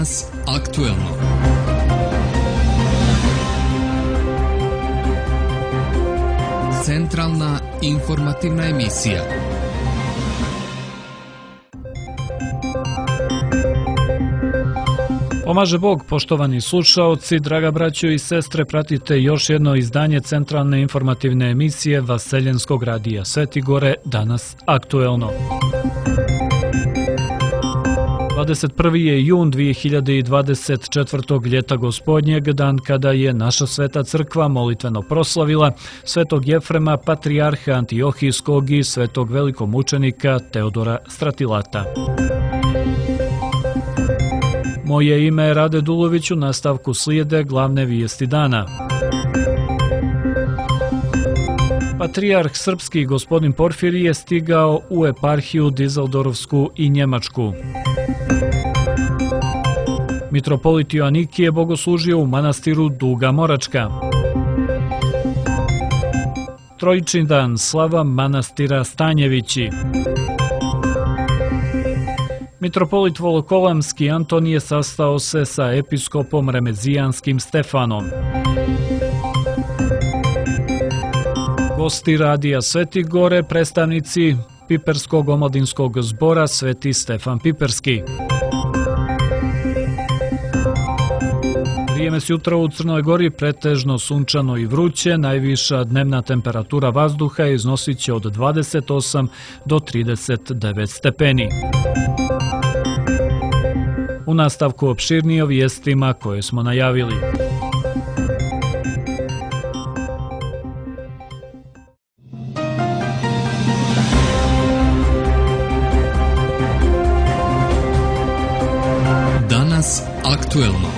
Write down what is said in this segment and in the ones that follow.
Danas aktuelno. Centralna informativna emisija. Pomaže Bog, poštovani slušaoci, draga braćo i sestre, pratite još jedno izdanje centralne informativne emisije Vaseljenskog radija Sveti Gore, Danas aktuelno. 21. je jun 2024. ljeta gospodnjeg, dan kada je naša sveta crkva molitveno proslavila svetog Jefrema, patrijarha Antiohijskog i svetog velikomučenika Teodora Stratilata. Moje ime je Rade Dulović, u nastavku slijede glavne vijesti dana. Patrijarh srpski gospodin Porfirije je stigao u eparhiju Dizeldorfsku i Njemačku. Mitropolit Joanikije bogoslužio u manastiru Duga Moračka. Trojični dan, slava manastira Stanjevići. Mitropolit Volokolamski Antonije sastao se sa episkopom Remezijanskim Stefanom. Gosti radija Sveti Gore, predstavnici Piperskog omladinskog zbora Sveti Stefan Piperski. Vrijeme s jutra u Crnoj Gori pretežno sunčano i vruće, najviša dnevna temperatura vazduha iznosit će od 28 do 39 stepeni. U nastavku opširnije o vijestima koje smo najavili. Danas aktuelno.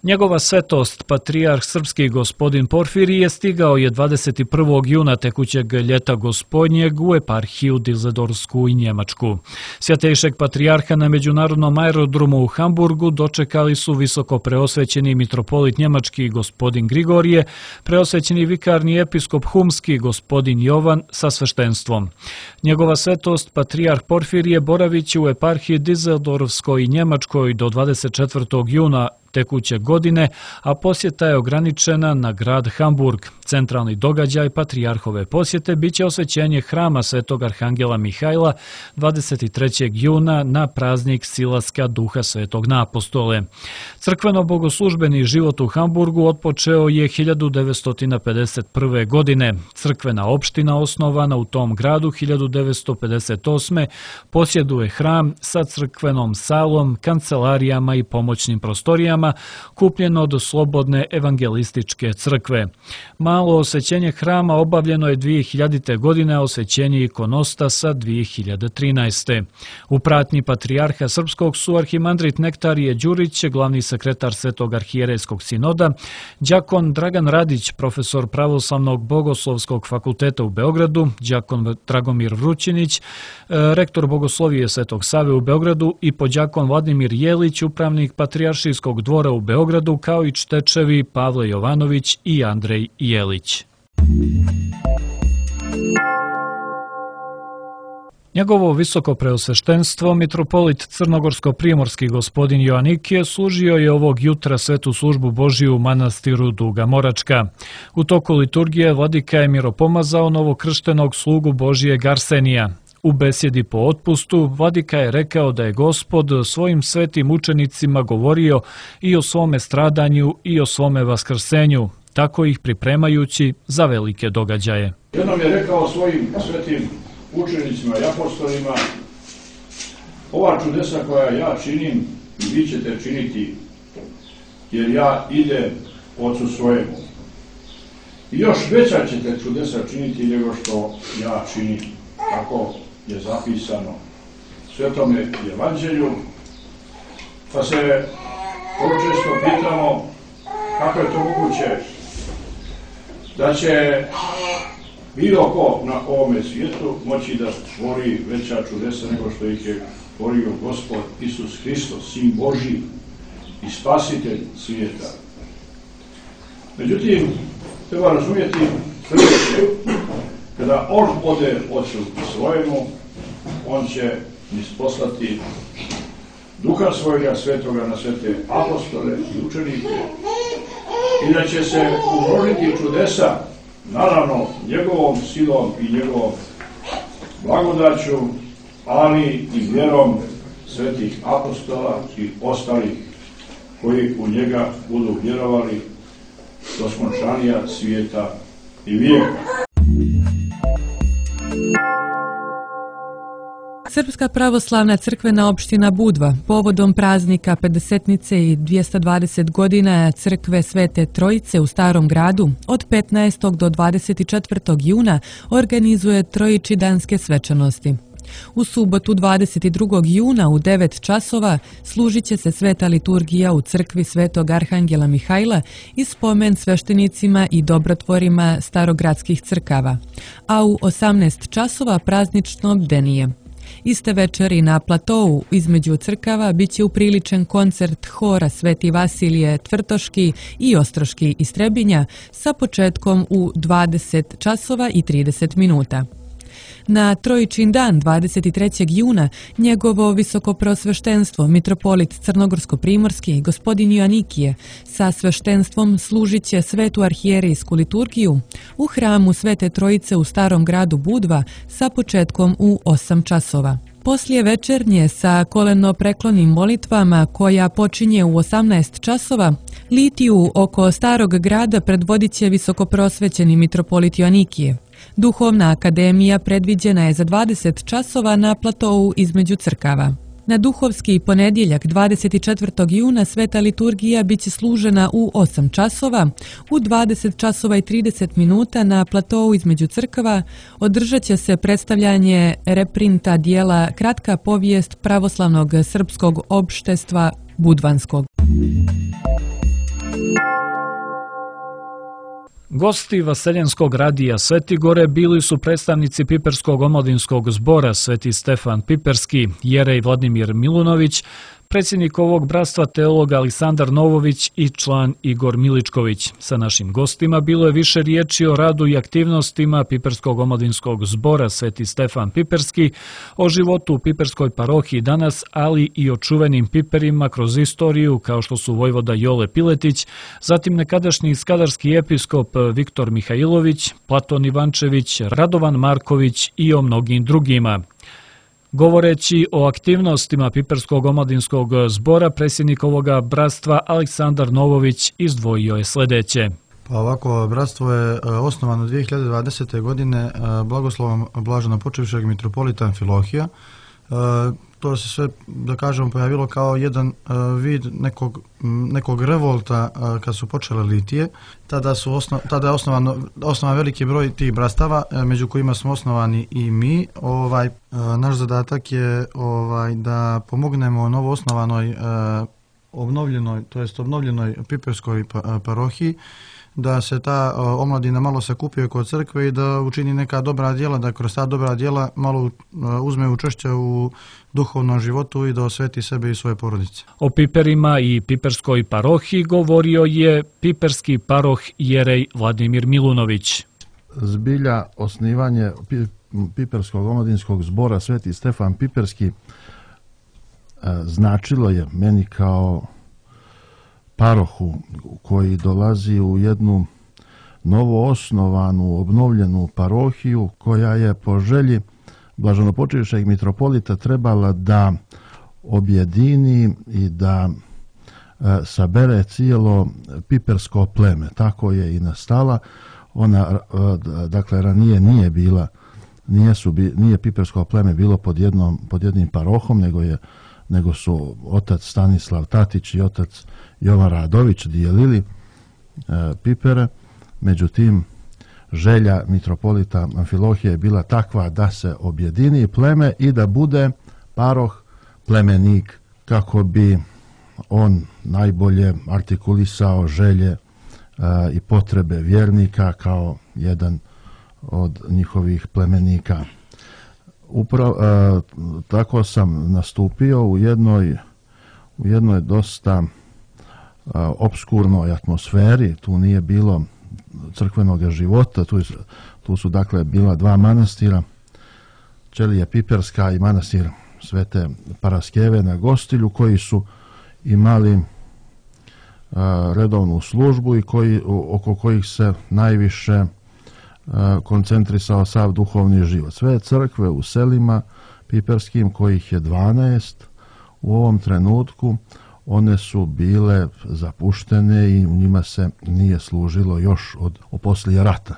Njegova svetost, patrijarh srpski gospodin Porfirije, stigao je 21. juna tekućeg ljeta gospodnjeg u eparhiju Dizeldorfsku i Njemačku. Svjatejšeg patrijarha na međunarodnom aerodromu u Hamburgu dočekali su visoko preosvećeni mitropolit njemački gospodin Grigorije, preosvećeni vikarni episkop humski gospodin Jovan sa sveštenstvom. Njegova svetost, patrijarh Porfirije, boravit će u eparhiji Dizeldorfskoj i Njemačkoj do 24. juna tekuće godine, a posjeta je ograničena na grad Hamburg. Centralni događaj patrijarhove posjete biće osvećenje hrama Svetog Arhangela Mihajla 23. juna na praznik Silaska Duha Svetog na apostole. Crkveno-bogoslužbeni život u Hamburgu otpočeo je 1951. godine. Crkvena opština osnovana u tom gradu 1958. posjeduje hram sa crkvenom salom, kancelarijama i pomoćnim prostorijama, kupljeno od Slobodne evangelističke crkve. Malo osvećenje hrama obavljeno je 2000. godine, a osvećenje ikonostasa 2013. U pratnji patrijarha srpskog su arhimandrit Nektarije Đurić, glavni sekretar Svetog arhijerejskog sinoda, đakon Dragan Radić, profesor Pravoslavnog bogoslovskog fakulteta u Beogradu, đakon Dragomir Vrućinić, rektor bogoslovije Svetog Save u Beogradu i podđakon Vladimir Jelić, upravnik patrijaršijskog dvora u Beogradu, kao i čtečevi Pavle Jovanović i Andrej Jelić. Njegovo visoko preosveštenstvo, mitropolit crnogorsko-primorski gospodin Joanikije, služio je ovog jutra svetu službu Božiju u manastiru Duga Moračka. U toku liturgije vladika je miropomazao novokrštenog slugu Božijeg Arsenija. U besjedi po otpustu, vladika je rekao da je Gospod svojim svetim učenicima govorio i o svome stradanju i o svome vaskrsenju, tako ih pripremajući za velike događaje. Jednom je rekao svojim svetim učenicima i apostolima: ova čudesa koja ja činim i vi ćete činiti, jer ja idem Ocu svojemu. I još veća ćete čudesa činiti nego što ja činim. Tako je zapisano u Svetome Evanđelju, pa se vrlo često pitamo kako je to moguće da će bilo ko na ovome svijetu moći da tvori veća čudesa nego što ih je tvorio Gospod Isus Hristos, Sin Božji i Spasitelj svijeta. Međutim, treba razumjeti sljedeće: kada on ode Ocu svojemu, on će isposlati Duha svojega svetoga na sve te apostole i učenike i da će se umnožiti čudesa, naravno njegovom silom i njegovom blagodaću, ali i vjerom svetih apostola i ostalih koji u njega budu vjerovali do skončanja svijeta i vijeka. Srpska pravoslavna crkvena opština Budva povodom praznika Pedesetnice i 220 godina crkve Svete Trojice u Starom gradu od 15. do 24. juna organizuje trojičidanske svečanosti. U subotu 22. juna u 9 časova služit će se sveta liturgija u crkvi Svetog Arhangela Mihajla i spomen sveštenicima i dobrotvorima starogradskih crkava, a u 18 časova praznično bdenije. Iste večeri na platou između crkava biće upriličen koncert hora Sveti Vasilije Tvrtoški i Ostroški iz Trebinja sa početkom u 20 časova i 30 minuta. Na Trojičin dan 23. juna njegovo visokoprosveštenstvo mitropolit Crnogorsko-primorski gospodin Joanikije sa sveštenstvom služit će svetu arhijerijsku liturgiju u hramu Svete Trojice u Starom gradu Budva sa početkom u 8 časova. Poslije večernje sa koleno-preklonim molitvama koja počinje u 18 časova, litiju oko Starog grada predvodit će visokoprosvećeni mitropolit Joanikije. Duhovna akademija predviđena je za 20 časova na platou između crkava. Na duhovski ponedjeljak 24. juna sveta liturgija biće služena u 8 časova, u 20 časova i 30 minuta na platou između crkava održat će se predstavljanje reprinta dijela Kratka povijest pravoslavnog srpskog opštestva Budvanskog. Gosti Vaseljenskog radija Svetigore bili su predstavnici Piperskog omladinskog zbora Sveti Stefan Piperski, jerej Vladimir Milunović, predsjednik ovog bratstva teolog Aleksandar Novović i član Igor Miličković. Sa našim gostima bilo je više riječi o radu i aktivnostima Piperskog omladinskog zbora Sveti Stefan Piperski, o životu u Piperskoj parohiji danas, ali i o čuvenim Piperima kroz istoriju kao što su vojvoda Jole Piletić, zatim nekadašnji skadarski episkop Viktor Mihajlović, Platon Ivančević, Radovan Marković i o mnogim drugima. Govoreći o aktivnostima Piperskog omladinskog zbora, predsjednik ovoga bratstva Aleksandar Novović izdvojio je sljedeće. Pa ovako, bratstvo je osnovano 2020. godine blagoslovom blaženopočivšeg mitropolita Amfilohija. To se sve, da kažemo, pojavilo kao jedan vid nekog revolta kad su počele litije. Tada je osnovan veliki broj tih brastava, među kojima smo osnovani i mi. Naš zadatak je da pomognemo novo osnovanoj obnovljenoj Piperskoj parohiji, da se ta omladina malo sakupio kod crkve i da učini neka dobra djela, da kroz ta dobra djela malo uzme učešće u duhovnom životu i da osveti sebe i svoje porodice. O Piperima i Piperskoj parohiji govorio je piperski paroh jerej Vladimir Milunović. Zbilja osnivanje Piperskog omladinskog zbora Sveti Stefan Piperski značilo je meni kao parohu koji dolazi u jednu novo osnovanu, obnovljenu parohiju koja je po želji blaženopočivšeg mitropolita trebala da objedini i da sabere cijelo pipersko pleme. Tako je i nastala. Ona, dakle, ranije nije pipersko pleme bilo pod jednim parohom, nego su otac Stanislav Tatić i otac Jovan Radović dijelili Pipere. Međutim, želja mitropolita Amfilohije je bila takva da se objedini pleme i da bude paroh plemenik kako bi on najbolje artikulisao želje i potrebe vjernika kao jedan od njihovih plemenika. Upravo tako sam nastupio u jednoj dosta opskurnoj atmosferi. Tu nije bilo crkvenog života, tu su dakle bila dva manastira, Ćelija Piperska i manastir Svete Paraskeve na Gostilju, koji su imali redovnu službu i oko kojih se najviše koncentrisao sav duhovni život. Sve crkve u selima piperskim, kojih je 12 u ovom trenutku, one su bile zapuštene i u njima se nije služilo još od poslije rata.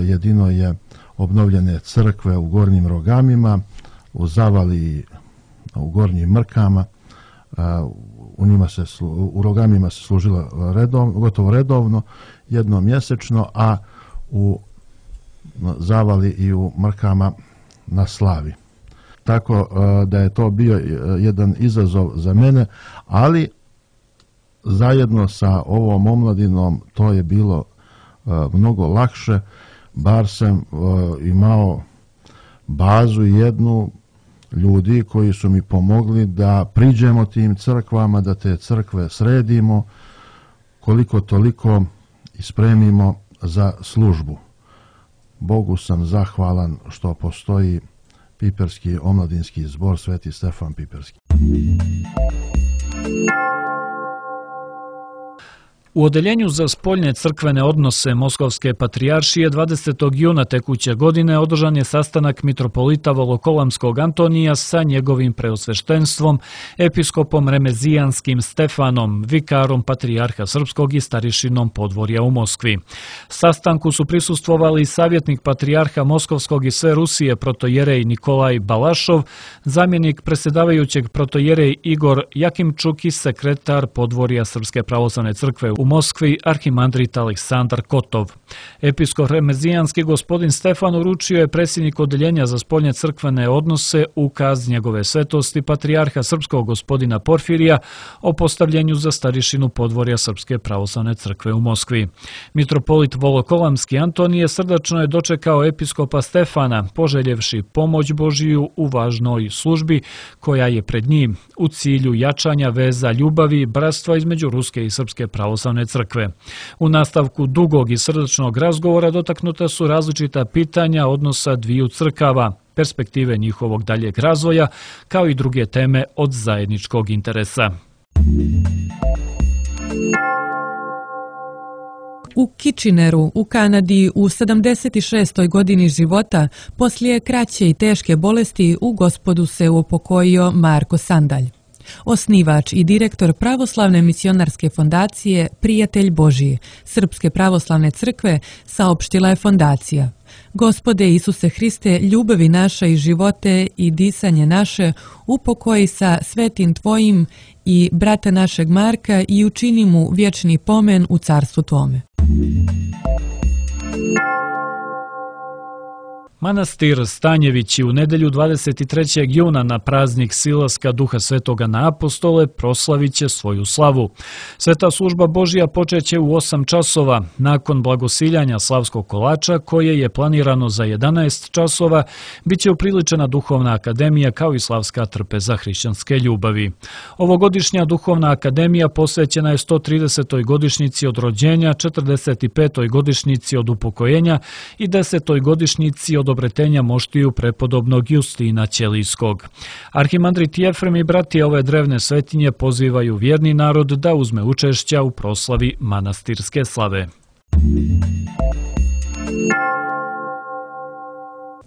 Jedino je obnovljene crkve u Gornjim Rogamima, u Zavali, u Gornjim Mrkama, u Rogamima se služilo gotovo redovno, jednom mjesečno, a u Zavali i u Mrkama na slavi. Tako da je to bio jedan izazov za mene, ali zajedno sa ovom omladinom to je bilo mnogo lakše, bar sam imao bazu jednu ljudi koji su mi pomogli da priđemo tim crkvama, da te crkve sredimo, koliko toliko ispremimo za službu. Bogu sam zahvalan što postoji Piperski omladinski zbor Sveti Stefan Piperski. U Odeljenju za spoljne crkvene odnose Moskovske patrijaršije 20. juna tekuće godine održan je sastanak mitropolita Volokolamskog Antonija sa njegovim preosveštenstvom, episkopom Remezijanskim Stefanom, vikarom patrijarha srpskog i starišinom podvorja u Moskvi. Sastanku su prisustvovali savjetnik patrijarha Moskovskog i sve Rusije protojerej Nikolaj Balašov, zamjenik predsjedavajućeg protojerej Igor Jakimčuk i sekretar podvorja Srpske pravoslavne crkve u Moskvi arhimandrit Aleksandar Kotov. Episkop Remezijanski gospodin Stefan uručio je predsjednik Odeljenja za spoljne crkvene odnose ukaz njegove svetosti patrijarha srpskog gospodina Porfirija o postavljenju za starišinu podvorja Srpske pravoslavne crkve u Moskvi. Mitropolit Volokolamski Antonije srdačno je dočekao episkopa Stefana, poželjevši pomoć Božiju u važnoj službi koja je pred njim u cilju jačanja veza ljubavi i bratstva između Ruske i Srpske pravoslavne crkve. U nastavku dugog i srdačnog razgovora dotaknuta su različita pitanja odnosa dviju crkava, perspektive njihovog daljeg razvoja, kao i druge teme od zajedničkog interesa. U Kitcheneru, u Kanadi, u 76. godini života, poslije kraće i teške bolesti, u Gospodu se upokojio Marko Sandalj. Osnivač i direktor Pravoslavne misionarske fondacije Prijatelj Božji, Srpske pravoslavne crkve, saopštila je fondacija. Gospode Isuse Hriste, ljubavi naša i živote i disanje naše, upokoji sa svetim Tvojim i brata našeg Marka i učini mu vječni pomen u carstvu Tvome. Manastir Stanjevići u nedjelju 23. juna na praznik silaska Duha Svetoga na apostole proslavit će svoju slavu. Sveta služba Božja počeće u 8 časova. Nakon blagosiljanja slavskog kolača, koje je planirano za 11 časova, bit će upriličena duhovna akademija kao i slavska trpeza hrišćanske ljubavi. Ovogodišnja duhovna akademija posvećena je 130. godišnjici od rođenja, 45. godišnjici od upokojenja i 10. godišnjici od obretenja moštiju prepodobnog Justina Ćelijskog. Arhimandrit Jefrem i bratije ove drevne svetinje pozivaju vjerni narod da uzme učešća u proslavi manastirske slave.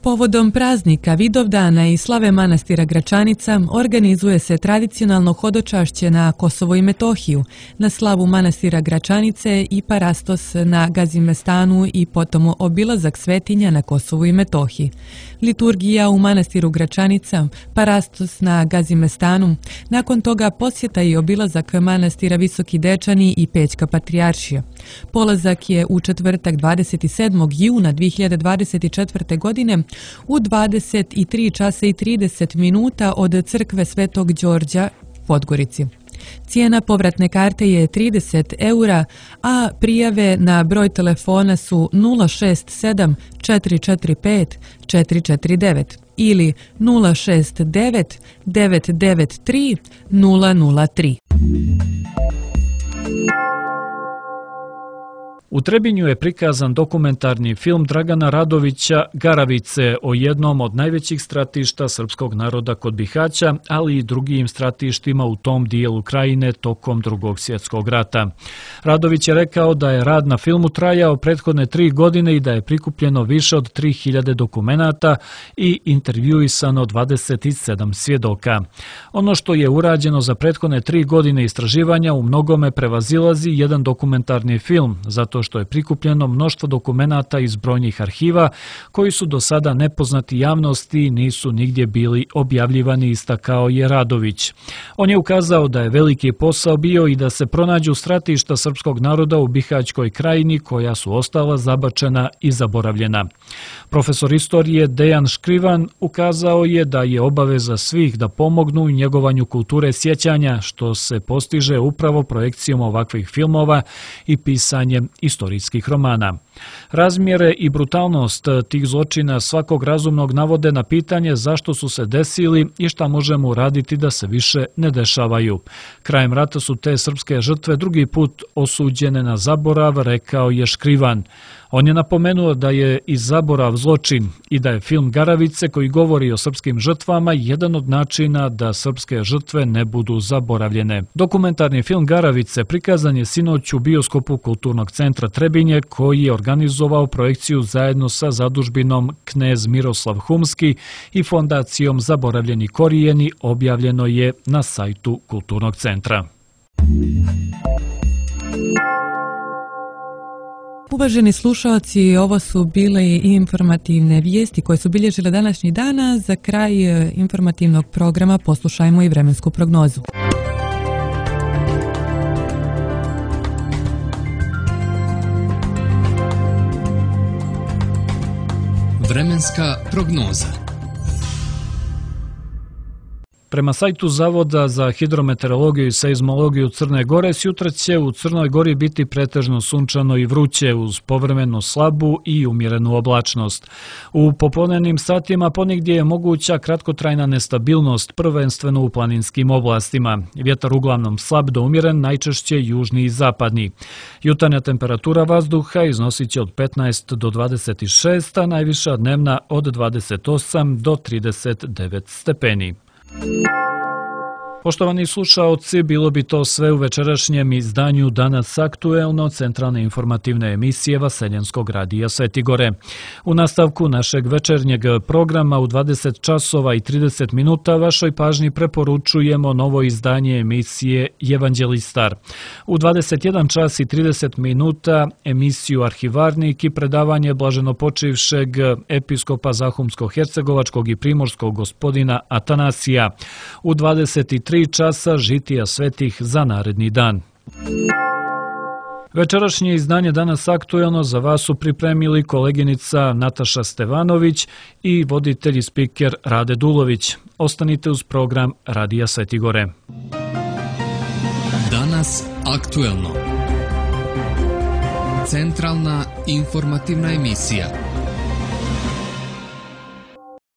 Povodom praznika Vidovdana i slave manastira Gračanica organizuje se tradicionalno hodočašće na Kosovo i Metohiju, na slavu manastira Gračanice i parastos na Gazimestanu i potom obilazak svetinja na Kosovu i Metohiji. Liturgija u manastiru Gračanica, parastos na Gazimestanu, nakon toga posjeta i obilazak manastira Visoki Dečani i Pećka patrijaršija. Polazak je u četvrtak 27. juna 2024. godine u 23 časa i 30 minuta od crkve Svetog Đorđa u Podgorici. Cijena povratne karte je 30 eura, a prijave na broj telefona su 067 445 449 ili 069 993 003. U Trebinju je prikazan dokumentarni film Dragana Radovića Garavice o jednom od najvećih stratišta srpskog naroda kod Bihaća, ali i drugim stratištima u tom dijelu krajine tokom Drugog svjetskog rata. Radović je rekao da je rad na filmu trajao prethodne 3 godine i da je prikupljeno više od 3000 dokumenata i intervjuisano 27 svjedoka. Ono što je urađeno za prethodne 3 godine istraživanja u mnogome prevazilazi jedan dokumentarni film, zato što je prikupljeno mnoštvo dokumenata iz brojnih arhiva koji su do sada nepoznati javnosti i nisu nigdje bili objavljivani, istakao je Radović. On je ukazao da je veliki posao bio i da se pronađu stratišta srpskog naroda u Bihaćkoj krajini koja su ostala zabačena i zaboravljena. Profesor istorije Dejan Škrivan ukazao je da je obaveza svih da pomognu u njegovanju kulture sjećanja, što se postiže upravo projekcijom ovakvih filmova i pisanjem istorijskih romana. Razmjere i brutalnost tih zločina svakog razumnog navode na pitanje zašto su se desili i šta možemo uraditi da se više ne dešavaju. Krajem rata su te srpske žrtve drugi put osuđene na zaborav, rekao je Škrivan. On je napomenuo da je i zaborav zločin i da je film Garavice, koji govori o srpskim žrtvama, jedan od načina da srpske žrtve ne budu zaboravljene. Dokumentarni film Garavice prikazan je sinoć u bioskopu Kulturnog centra Trebinje, koji je organizovao projekciju zajedno sa zadužbinom Knez Miroslav Humski i fondacijom Zaboravljeni korijeni, objavljeno je na sajtu Kulturnog centra. Uvaženi slušalci, ovo su bile i informativne vijesti koje su bilježile današnji dana. Za kraj informativnog programa poslušajmo i vremensku prognozu. Vremenska prognoza. Prema sajtu Zavoda za hidrometeorologiju i seizmologiju Crne Gore, sutra će u Crnoj Gori biti pretežno sunčano i vruće uz povremeno slabu i umjerenu oblačnost. U popodnevnim satima ponegdje je moguća kratkotrajna nestabilnost, prvenstveno u planinskim oblastima. Vjetar uglavnom slab do umjeren, najčešće južni i zapadni. Jutarnja temperatura vazduha iznosit će od 15 do 26, a najviša dnevna od 28 do 39 stepeni. Poštovani slušaoci, bilo bi to sve u večerašnjem izdanju Danas aktuelno, centralne informativne emisije Vaseljenskog radija Svetigore. U nastavku našeg večernjeg programa u 20 časova i 30 minuta vašoj pažnji preporučujemo novo izdanje emisije Evanđelistar. U 21 čas i 30 minuta emisiju Arhivarnik i predavanje blaženopočivšeg episkopa Zahumsko-hercegovačkog i primorskog gospodina Atanasija. U 23 časa žitija svetih za naredni dan. Večerašnje izdanje Danas aktuelno za vas su pripremili koleginica Nataša Stevanović i voditelj i spiker Rade Dulović. Ostanite uz program Radija Svetigore. Danas aktuelno. Centralna informativna emisija.